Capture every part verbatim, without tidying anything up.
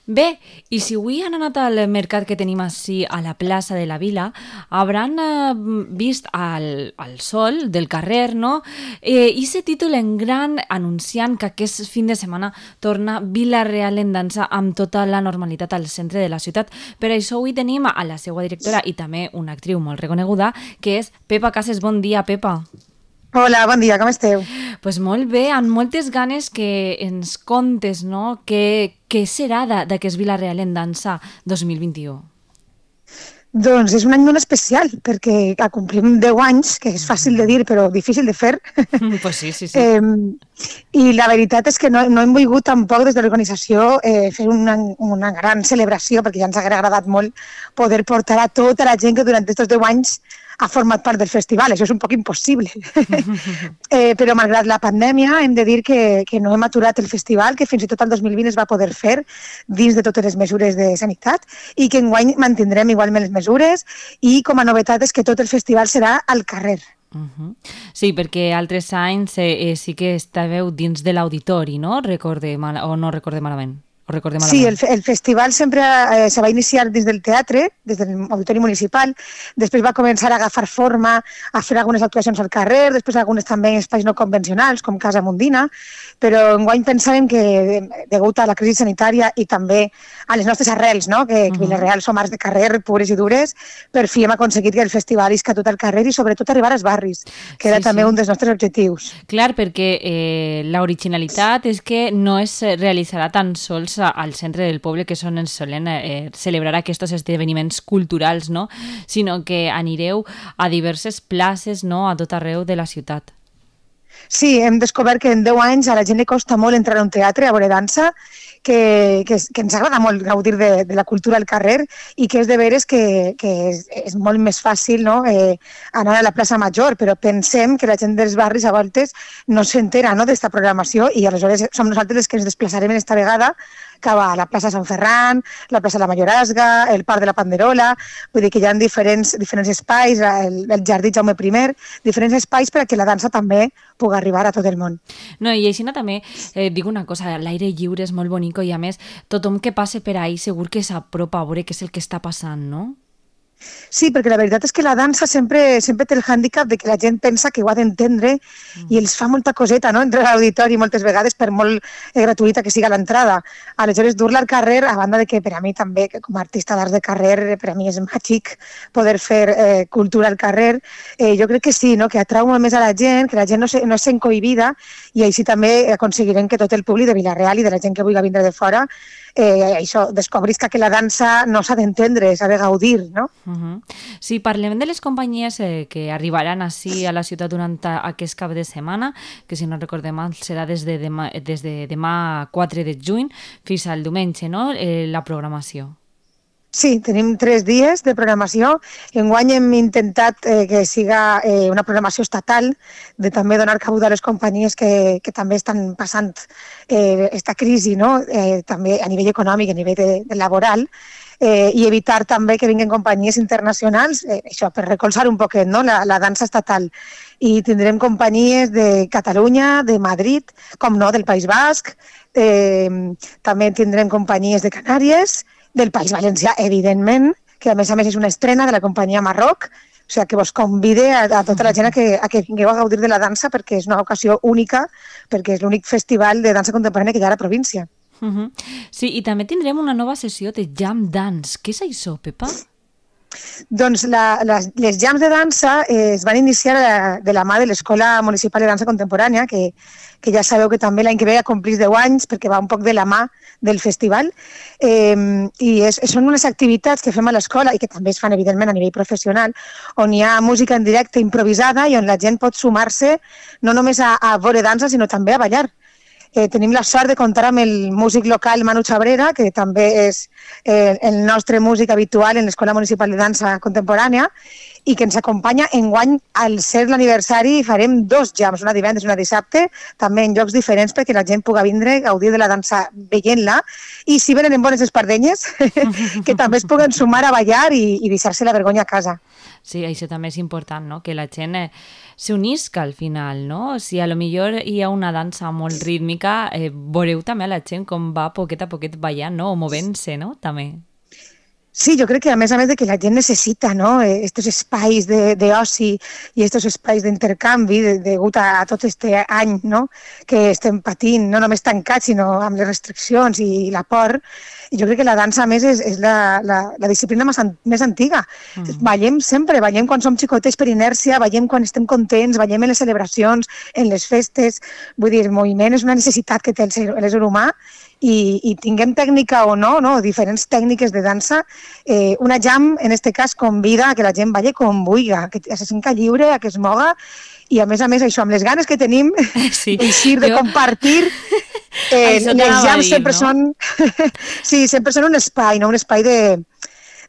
Bé, i si avui han anat al mercat que tenim així a la plaça de la Vila, hauran eh, vist al, al sol del carrer, no? Eh, I se títol en gran anunciant que aquest fin de setmana torna Vila-real en dansa amb tota la normalitat al centre de la ciutat. Per això avui tenim a la seva directora i també una actriu molt reconeguda, que és Pepa Cases. Bon dia, Pepa. Hola, bon dia, com esteu? Doncs pues molt bé, amb moltes ganes que ens contes, no?, què, què serà d'aquest Vila-real en dansa dos mil vint-i-u. Doncs és un any molt especial, perquè complim deu anys, que és fàcil de dir però difícil de fer. Pues sí, sí, sí. Eh, I la veritat és que no, no hem volgut tampoc des de l'organització eh, fer una, una gran celebració, perquè ja ens hauria agradat molt poder portar a tota la gent que durant aquests deu anys ha format part del festival. Això és un poc impossible. eh, però malgrat la pandèmia hem de dir que, que no hem aturat el festival, que fins i tot el dos mil vint es va poder fer dins de totes les mesures de sanitat i que enguany mantindrem igualment les mesures i com a novetat és que tot el festival serà al carrer. Uh-huh. Sí, perquè altres anys eh, sí que estàveu dins de l'auditori, no? Recorde mal, o no recorde malament. Sí, el, el festival sempre eh, se va iniciar des del teatre, des de l'auditori municipal, després va començar a agafar forma, a fer algunes actuacions al carrer, després algunes també en espais no convencionals, com Casa Mundina, però enguany pensàvem que, degut a la crisi sanitària i també a les nostres arrels, no? que, que Vila-real som arts de carrer, pures i dures, per fi hem aconseguit que el festival isca tot al carrer i sobretot arribar als barris, que era sí, també sí. un dels nostres objectius. Clar, perquè eh, l'originalitat és que no es realitzarà tan sols al centre del poble, que és on ens solen eh, celebrar aquests esdeveniments culturals, no? Sinó que anireu a diverses places, no?, a tot arreu de la ciutat. Sí, hem descobert que en deu anys a la gent li costa molt entrar a un teatre a veure dansa, que, que, que ens agrada molt gaudir de, de la cultura al carrer i que és de veres que, que és, és molt més fàcil, no?, eh, anar a la plaça Major, però pensem que la gent dels barris a voltes no s'entera, no?, d'esta programació i aleshores som nosaltres els que ens desplaçarem en esta vegada cap a la plaça Sant Ferran, la plaça de la Mayorazga, el Parc de la Panderola, vull dir que hi ha diferents, diferents espais, el, el Jardí Jaume primer, diferents espais perquè la dansa també pugui arribar a tot el món. No, i així també eh, dic una cosa, l'aire lliure és molt bonic i a més tothom que passe per ahí segur que s'apropa a veure què és el que està passant, no? Sí, perquè la veritat és que la dansa sempre, sempre té el hàndicap de que la gent pensa que ho ha d'entendre mm. i els fa molta coseta, no?, entrar a l'auditori moltes vegades per molt eh, gratuïta que siga l'entrada. Aleshores, dur-la al carrer, a banda de que per a mi també, que com a artista d'arts de carrer, per a mi és màgic poder fer eh, cultura al carrer, eh, jo crec que sí, no?, que atrau molt més a la gent, que la gent no, se, no és encohibida i així també aconseguirem que tot el públic de Vila-real i de la gent que vulgui vindre de fora eh, això, descobrisca que la dansa no s'ha d'entendre, s'ha de gaudir, no? Uh-huh. Sí, parlem de les companyies eh, que arribaran així a la ciutat durant aquest cap de setmana, que si no recordem mal serà des de demà, des de demà quatre de juny fins al diumenge, no?, eh, la programació. Sí, tenim tres dies de programació. Enguany hem intentat eh, que siga eh, una programació estatal, de també donar cabuda a les companyies que, que també estan passant eh, esta crisi, no?, eh, també a nivell econòmic, a nivell de, de laboral, eh, i evitar també que vinguin companyies internacionals, eh, això per recolzar un poquet, no?, la, la dansa estatal. I tindrem companyies de Catalunya, de Madrid, com no, del País Basc, eh, també tindrem companyies de Canàries, del País Valencià, evidentment, que a més a més és una estrena de la companyia Marroc, o sigui que vos convide a, a tota la gent a que, a que vingueu a gaudir de la dansa perquè és una ocasió única, perquè és l'únic festival de dansa contemporània que hi ha a la província. Uh-huh. Sí, i també tindrem una nova sessió de Jam Dance. Què és això, Pepa? Doncs la, les, les jams de dansa eh, es van iniciar de, de la mà de l'Escola Municipal de Dansa Contemporània, que, que ja sabeu que també l'any que ve complís deu anys perquè va un poc de la mà del festival. Eh, I és, són unes activitats que fem a l'escola i que també es fan, evidentment, a nivell professional, on hi ha música en directe improvisada i on la gent pot sumar-se no només a, a veure dansa, sinó també a ballar. Eh, tenim la sort de comptar amb el músic local Manu Chabrera, que també és eh, el nostre músic habitual en l'Escola Municipal de Dansa Contemporània, i que ens acompanya. Enguany, al ser l'aniversari, farem dos jams, una divendres i una dissabte, també en llocs diferents perquè la gent pugui vindre, gaudir de la dansa veient-la, i si venen en bones espardenyes, que també es puguen sumar a ballar i, i deixar-se la vergonya a casa. Sí, això també és important, no? Que la gent eh, s'unisca al final, no? Si a lo millor hi ha una dansa molt rítmica, eh, veureu també a la gent com va poquet a poquet ballant, no? O movent-se, no? També. Sí, jo crec que a més a més de que la gent necessita, no?, estos espais d'oci i estos espais d'intercanvi degut a, a tot este any, no?, que estem patint, no només tancats, sinó amb les restriccions i la por. I jo crec que la dansa, a més, és, és la, la, la disciplina més, an més antiga. Mm. Ballem sempre, ballem quan som xicotets per inèrcia, ballem quan estem contents, ballem en les celebracions, en les festes. Vull dir, el moviment és una necessitat que té l'ésser humà, i, i tinguem tècnica o no, no, diferents tècniques de dansa, eh, una jam, en aquest cas, convida a que la gent balli com vulgui, que se senta lliure, a que es moga, i a més a més això, amb les ganes que tenim sí, d'eixir, de jo... compartir, eh, els jams dir, sempre no? són sí, sempre són un espai, no? Un espai de,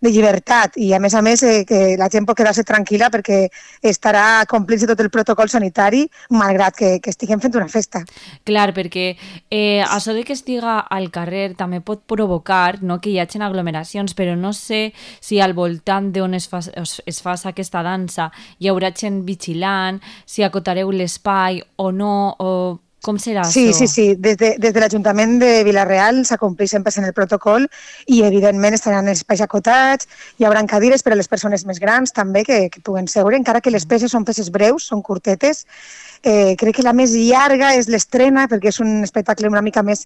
de llibertat, i a més a més eh, que la gent pot quedar-se tranquil·la perquè estarà complint tot el protocol sanitari, malgrat que, que estiguem fent una festa. Clar, perquè eh, això de que estiga al carrer també pot provocar, no, que hi hagi aglomeracions, però no sé si al voltant d'on es fa, es fa aquesta dansa hi haurà gent vigilant, si acotareu l'espai o no, o... Com serà sí, això? Sí, sí, des de, des de l'Ajuntament de Vila-real s'acompleix sempre en el protocol i evidentment estaran espais acotats, hi haurà cadires per a les persones més grans també que, que puguen seure, encara que les peces són peces breus, són curtetes. Eh, crec que la més llarga és l'estrena, perquè és un espectacle una mica més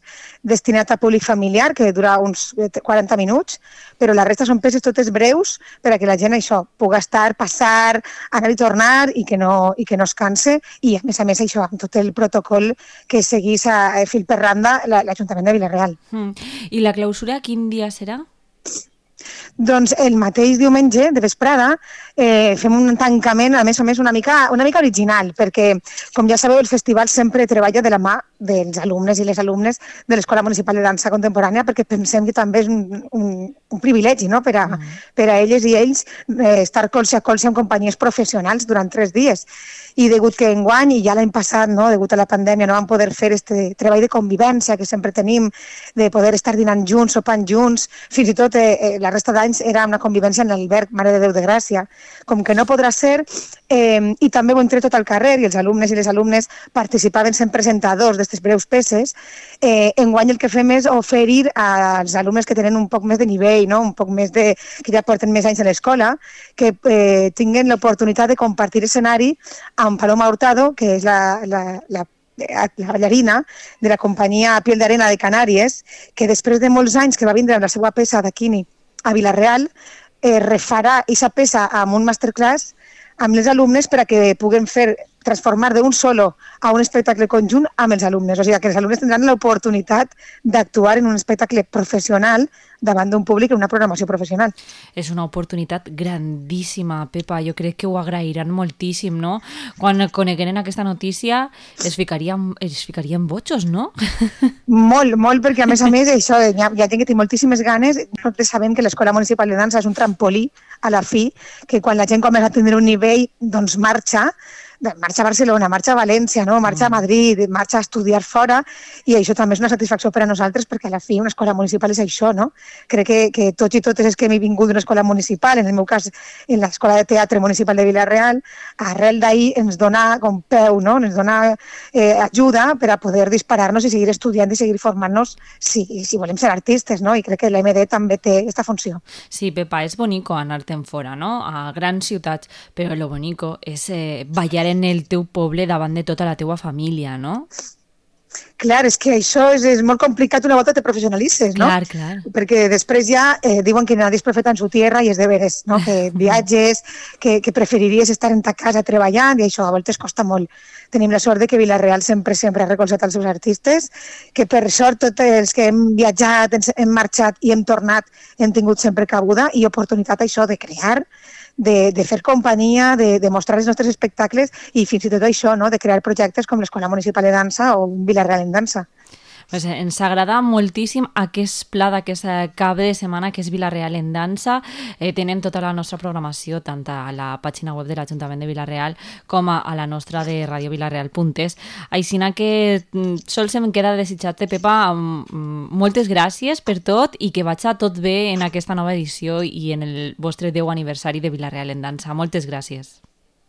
destinat a públic familiar, que dura uns quaranta minuts, però la resta són peces totes breus per a que la gent això pugui estar, passar, anar i tornar i que no, i que no es canse, i a més a més això, amb tot el protocol que seguís a, a fil per randa l'Ajuntament de Vila-real. Mm. I la clausura quin dia serà? Doncs el mateix diumenge de vesprada eh, fem un tancament, a més a més, una mica, una mica original, perquè, com ja sabeu, el festival sempre treballa de la mà dels alumnes i les alumnes de l'Escola Municipal de Dansa Contemporània, perquè pensem que també és un, un, un privilegi, no?, per a, mm. per a elles i ells eh, estar colze a colze amb companyies professionals durant tres dies. I degut que enguany, i ja l'any passat, no, degut a la pandèmia, no vam poder fer este treball de convivència que sempre tenim, de poder estar dinant junts, sopant junts, fins i tot eh, la resta d'anys era una convivència en l'alberg Mare de Déu de Gràcia. Com que no podrà ser, eh, i també ho hem tret tot al carrer, i els alumnes i les alumnes participaven sent presentadors d'aquestes breus peces, eh, enguany el que fem és oferir als alumnes que tenen un poc més de nivell, no, un poc més de, que ja porten més anys a l'escola, que eh, tinguin l'oportunitat de compartir escenari amb Paloma Hurtado, que és la, la, la, la ballarina de la companyia Piel d'Arena de Canàries, que després de molts anys que va vindre amb la seva peça d'Aquini a Vila-real, eh, refarà aquesta peça amb un masterclass amb les alumnes per a que puguen fer transformar d'un solo a un espectacle conjunt amb els alumnes. O sigui, que els alumnes tindran l'oportunitat d'actuar en un espectacle professional davant d'un públic en una programació professional. És una oportunitat grandíssima, Pepa. Jo crec que ho agrairan moltíssim, no? Quan conegueren aquesta notícia es ficarien, es ficarien botxos, no? Molt, molt, perquè a més a més això, hi ha, hi ha gent que té moltíssimes ganes. Nosaltres sabem que l'Escola Municipal de Dansa és un trampolí a la fi, que quan la gent comença a tenir un nivell, doncs marxa, marxa a Barcelona, marxa a València, no? Marxa a Madrid, marxa a estudiar fora, i això també és una satisfacció per a nosaltres perquè a la fi una escola municipal és això, no? Crec que, que tots i totes és que hem vingut d'una escola municipal, en el meu cas en l'Escola de Teatre Municipal de Vila-real, arrel d'ahir ens dona com peu, no? Ens dona eh, ajuda per a poder disparar-nos i seguir estudiant i seguir formant-nos si, si volem ser artistes, no? I crec que l'A M D també té aquesta funció. Sí, Pepa, és bonico anar-te'n fora, no? A grans ciutats, però lo bonico és eh, ballar en el teu poble davant de tota la teua família, no? Clar, és que això és, és molt complicat una volta te professionalitzes, no? Clar, clar. Perquè després ja eh, diuen que nadie és profeta en su tierra i és de veres, no? Que viatges, que, que preferiries estar en ta casa treballant i això a voltes costa molt. Tenim la sort de que Vila-real sempre sempre ha recolzat els seus artistes, que per sort tots els que hem viatjat, hem marxat i hem tornat hem tingut sempre cabuda i oportunitat això de crear, de, de fer companyia, de, de mostrar els nostres espectacles i fins i tot això, no? De crear projectes com l'Escola Municipal de Dansa o Vila-real en Dansa. Pues ens agrada moltíssim aquest pla d'aquest cap de setmana que és Vila-real en dansa. Eh, tenen tota la nostra programació tant a la pàgina web de l'Ajuntament de Vila-real com a, a la nostra de radio vilareal punt es. Així que sols em queda desitjar-te, Pepa, moltes gràcies per tot i que vaig a tot bé en aquesta nova edició i en el vostre deu aniversari de Vila-real en dansa. Moltes gràcies.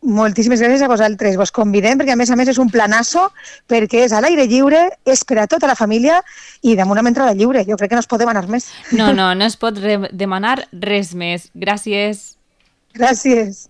Moltíssimes gràcies a vosaltres. Vos convidem perquè a més a més és un planasso perquè és a l'aire lliure, és per a tota la família i damunt amb entrada lliure. Jo crec que no es pot demanar més. No, no, no es pot re- demanar res més. Gràcies. Gràcies.